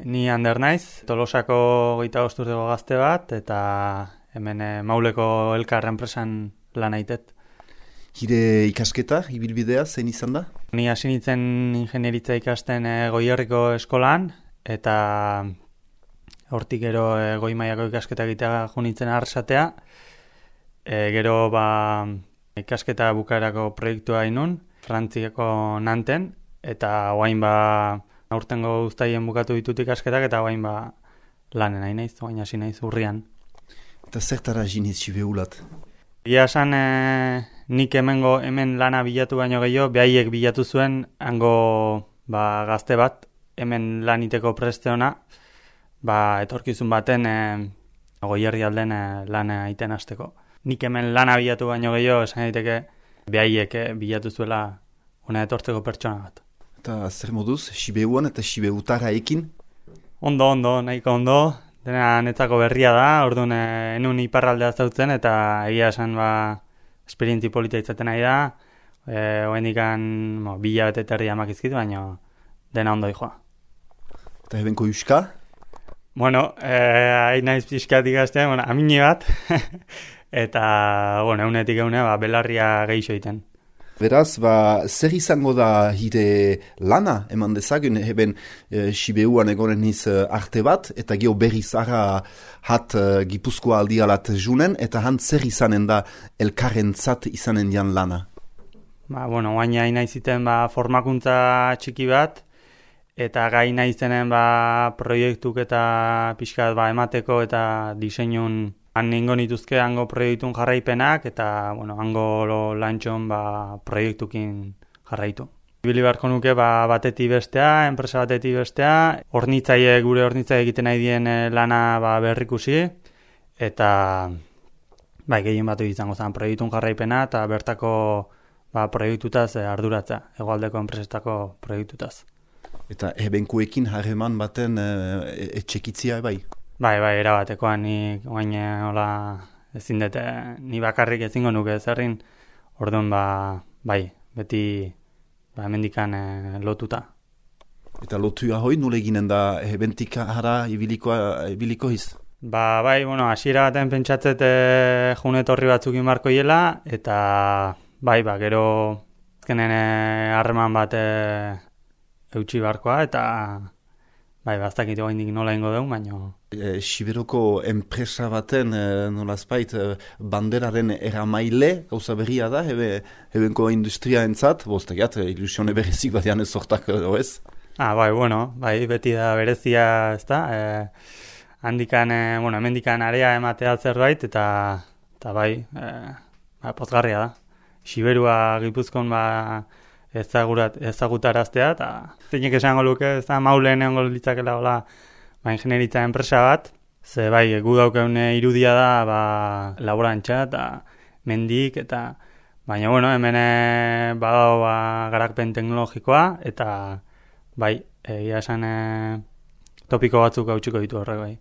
Ni Ander naiz, Tolosako 25 urteko gazte bat, eta hemen Mauleko Elkar enpresan lan aitet. Hire ikasketa, ibilbidea, zein izan da? Ni hasi nintzen ingenieritza ikasten Goierriko eskolan, eta hortik gero goi mailako ikasketa egitea jo nintzen Arrasatea. Gero ikasketa bukaerako proiektua inun, Frantziako Nanten, eta orain aurtengo uztaien bukatu ditut ikasketak, eta orain lanen nahi naiz, orain hasi naiz urrian. Eta zertara jiniz Sibeulat? Ia esan nik hemen lana bilatu baino gehiago, behaiek bilatu zuen hango gazte bat, hemen laniteko presteona, etorkizun baten Goierri alden lana egiten hasteko. Nik hemen lana bilatu baino gehiago, esan daiteke behaiek bilatu zuela hona etortzeko pertsona bat. Eta zer moduz, Sibeuan eta Sibeutara ekin? Ondo, nahiko ondo. Dena netzako berria da, orduan enun iparraldea zautzen, eta egia esan esperientzi polita izaten nahi da. Oendikan bilabete terri amakizkit, baina dena ondo joa. Eta ebenko euska? Bueno, hain naiz pixkat ikasten, amine bat, eta eunetik belarria geixo egiten. Beraz, zer izango da hire lana, eman dezagun, eben Sibeuan egonen niz arte bat, eta geho berriz ara hat Gipuzkoa aldialat junen, eta han zer izanen da elkarrentzat izanen dian lana? Oain hain naiziten formakuntza txiki bat, eta gai naizenen proiektuk eta pixkat emateko eta diseinun han ningo nituzke hango proiektun jarraipenak, eta hango lantxon proiektukin jarraitu. Ibili beharko nuke batetik bestea, enpresa batetik bestea, gure hornitzaile egiten nahi dien lana berrikusi, eta gehien batu izango zen proiektun jarraipena, eta bertako proiektutaz arduratza, hegoaldeko enpresetako proiektutaz. Eta ebenkuekin harreman baten etxekitzia bai? Bai, erabatekoan, ni oain ezin dut, ni bakarrik ezingo nuke zerrin, orduan beti hemendikan lotuta. Eta lotua hoi, nule eginen da ebentik hara ibiliko hiz? Hasiera baten pentsatzet junet horri batzukin barko hiela, eta gero azkenen harreman bat eutxi barkoa, eta baztakit oaindik nola ingo dugu, baina... Siberoko enpresa baten nolazpait banderaren eramaile gauza berria da, ebenko industria entzat, bostak ilusione berezik bat janez sortak ez? Beti da berezia, ez da, hemendikan area ematea zerbait, eta pozgarria da. Siberua Gipuzkoan ezagutaraztea, eta zeinek esango luke, ez da Maulen egongo litzakela ingenieritza enpresa bat, ze gu daukeun irudia da laborantza eta mendik, eta baina hemen badago garakpen teknologikoa, eta egia esan topiko batzuk hautsiko ditu horrek bai.